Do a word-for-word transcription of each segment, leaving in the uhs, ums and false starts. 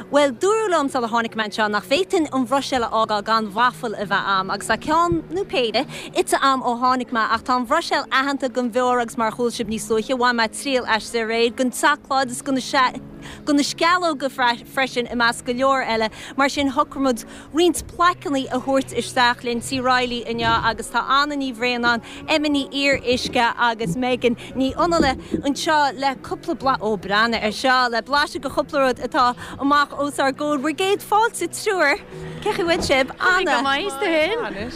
Well dúradh liom sula tháinig mé anseo nach bhféadfainn an Bhruiséil a fhágáil gan waffle a bheith a'm agus tá ceann nó péire ite a'm ó tháinig mé ach tá an Bhruiséil aitheanta don bheoir agus mar chuala sibh níos luaithe bhain mé triail aisti aréir don tseacláid is do na sceallóga freisin i measc go leor eile mar sin shocraigh muid roinnt plaiceanna a thabhairt isteach linn Tí Raghallaigh inniu agus tá Anna Ní Bhraonáin, Emma Ní Fhíoruisce agus Megan Ní Fhionnghaile anseo le cúpla bla ó breathnaigh ar seo le blaiseadh de chúpla rud atá amach os ár gcomhair. Bhur gcéad fáilte triúr Cén chaoi a bhfuil sibh Anna.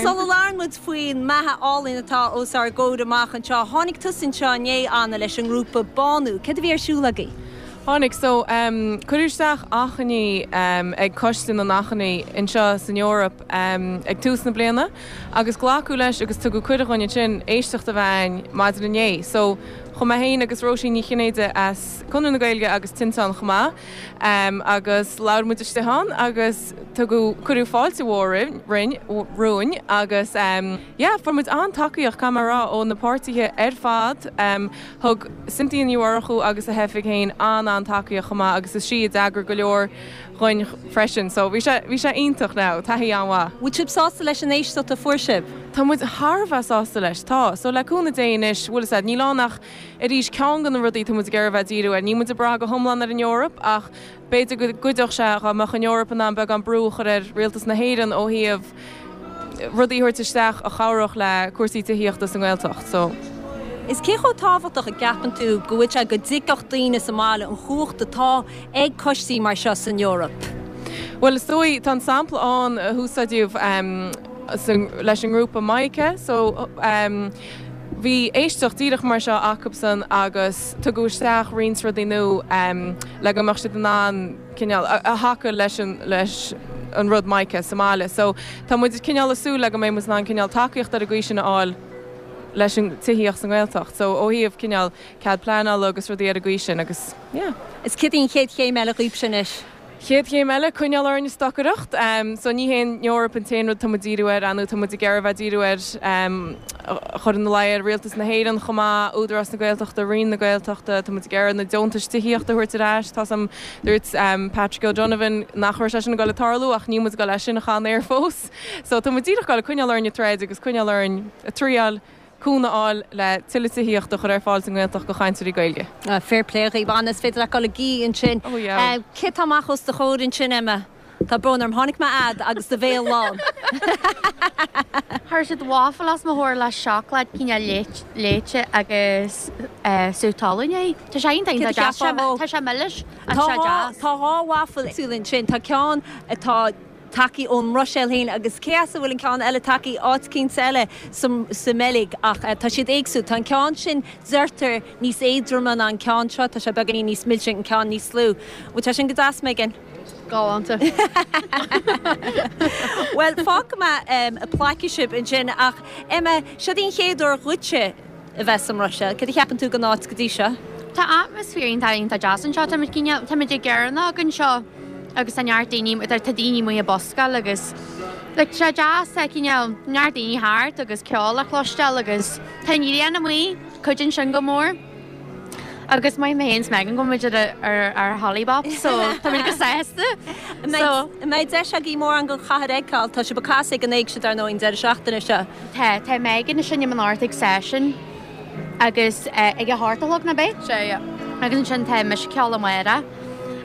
Sula labhrann muid faoin mbeatha álainn atá os ár gcomhair amach anseo, tháinig tusa anseo inné Anna leis an ngrúpa Bánú. Céard a bhí ar siúl agaibh? Tháinig so um, cuireadh isteach achainí um, ag Coiste na nAchainí anseo san Eoraip um, ag tús na bliana, agus glacadh leis agus tugadh cuireadh dúinn ansin éisteacht a bheith maidin inné. So chuaigh mé féin agus Róisín Ní Chinnéide as Conradh na Gaeilge agus Tinteán chomh maith um, agus labhair muid istigh ann agus tugadh cuireadh fáilte mhór roinn romhainn agus um, yeah, fuair muid an-tacaíocht camará ó na páirtithe ar fad um, thug Cynthia Ní Mhurchú agus a hoifig féin an an-tacaíocht chomh maith agus is sí a d'eagraigh go leor dúinn freisin, so bhí sé bhí sé iontach ná taithí an-mhaith. Bhfuil sibh sásta leis an éisteacht a fuair sibh? Tá muid thar a bheith sásta leis tá, so le cúnamh Dé anois bhfuil said níl ann ach arís ceann de na rudaí tá muid ag iarraidh bheith díriú ar níl muid ag brath go hiomlán ar an Eoraip ach b'fhéidir go gcuideodh sé dá mbeadh an Eoraip in ann beagán brú a chur ar rialtas na hÉireann ó thaobh rudaí a thabhairt isteach a chabhródh le cúrsaí tithíochta sa nGaeltacht so. Is cé chomh tábhachtach a cheapann tú go bhfuil sé go dtuigfeadh daoine sa mbaile an chumhacht atá ag coistí mar seo san Eoraip. Well is dóigh tá an sampla ann a húsáideadh um, leis an ngrúpa Maica so um, bhí éisteacht díreach mar seo acusan agus tugadh isteach roinnt rudaí nua um, le go mbeadh siad in ann cineál a, a thaca leis an leis an rud Maica sa mbaile. So tá muid cineál ag súil le go mbeidh muid in ann cineál tacaíocht ar an gcaoi sin a fháil leis an tithíocht sa nGaeltacht. So ó thaobh cineál cead pleanála agus rudaí ar an gcaoi sin agus yeah. Is cad í an chéad chéim eile dhaoibh sin anois. Chéad chéim eile coinneáil orainn ag stocaireacht, um, so ní hé an Eoraip an t-aon rud tá muid díriú air anú tá muid ag iarraidh bheith díriú ar um, chur ina luí ar rialtas na hÉireann chomh maith Údarás na Gaeltachta Roinn na Gaeltachta tá muid ag iarraidh na deontais tithíochta a thabhairt ar ais Tá sam dúirt um, Patrick O'Donovan nach raibh sé sin ag dul a tarlú ach ní muid go leis sin a chan air fós. So tá muid díreach ag coinneáil orainn ag troid agus coinneáil orainn ag triail cúnamh a fháil le tuilleadh tithíochta a chur ar fáil sa nGaeltacht do chainteoirí Gaeilge. Uh, fair play dhaoibh Anna is féidir le go gí ansin. Oh, yeah. Uh, Cé tá amach os do chomhair ansin Emma? Tá brón orm tháinig mé a'd agus do bhéal lán. Chuir siad waffle os mo chomhair le seacláid cineál léite agus uh, sú talún é. Tá sé Cé iontach a cheapfá dhó? Tá sé milis Tá tá sé dhá deas. tá dhá waffle éagsúla ansin Tá ceann atá tagtha ón mBruiséil féin agus cé as a bhfuil an ceann eile tagtha áit eicínt eile sa sa mBeilg ach uh, tá siad éagsúil Tá an ceann sin deirtear níos éadroime ná an ceann seo tá sé beagáinín níos milse an ceann níos lú. Bhfuil sé sin go deas Megan? Galánta. Well fágfaidh mé um, ag plaiceadh sibh ansin ach Emma seo an chéad uair dhuitse a bheith sa mBruiséil, Cad a cheapann tú den áit go dtí seo? Tá atmaisféar iontach iontach deas anseo Tá tá muid ag gearnach anseo agus tá neart daoine tá daoine amuigh ag buscáil agus like, sé deas tá cineál neart daoine thart agus ceol le cloisteáil agus tá an ghrian amuigh cuidíonn sin go mór. Agus mai mé héin Megan go muid ar ar ar Hollybop, so tá go sásta. So mbeidh deis agaibh mórán den chathair a fheiceáil tá sibh ag casadh ag an éigse dar ndóigh an deireadh seachtaine seo. Tá tá Megan ag seinm anocht ag session agus uh, ag a hocht a chlog nach ea? Sé yeah. Agus ansin tá mise ag ceol amárach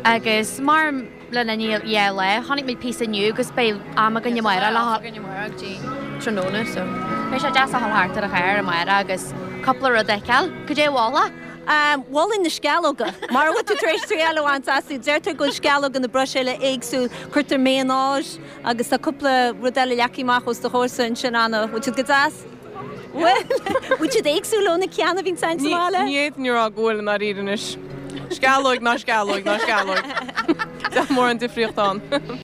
agus mar le ní dhe le tháinig muid píosa inniu agus beidh am againn amárach le amárach dtí tráthnóna so. Beidh sé deas a dhul thart ar an chathair amárach agus cúpla rud a fheiceáil, Cad é a mholfá? Um, Mholfainn na sceallóga. Mar bhfuil tú tar éis triail a bhaint astu deirtear go bhfuil sceallóga na Bruiséile éagsúil cuirtear mayonaise agus tá cúpla rud eile leagtha amach os do chomhair ansin Anna, bhfuil siad go deas? Well, bhfuil siad éagsúil ó na ceanna a bhíonn sa mbaile? Ní fhéadfainn a rá go bhfuil an dáiríre anois. Sceallóg ná sceallóg ná sceallóg. Tá mórán difríocht ann.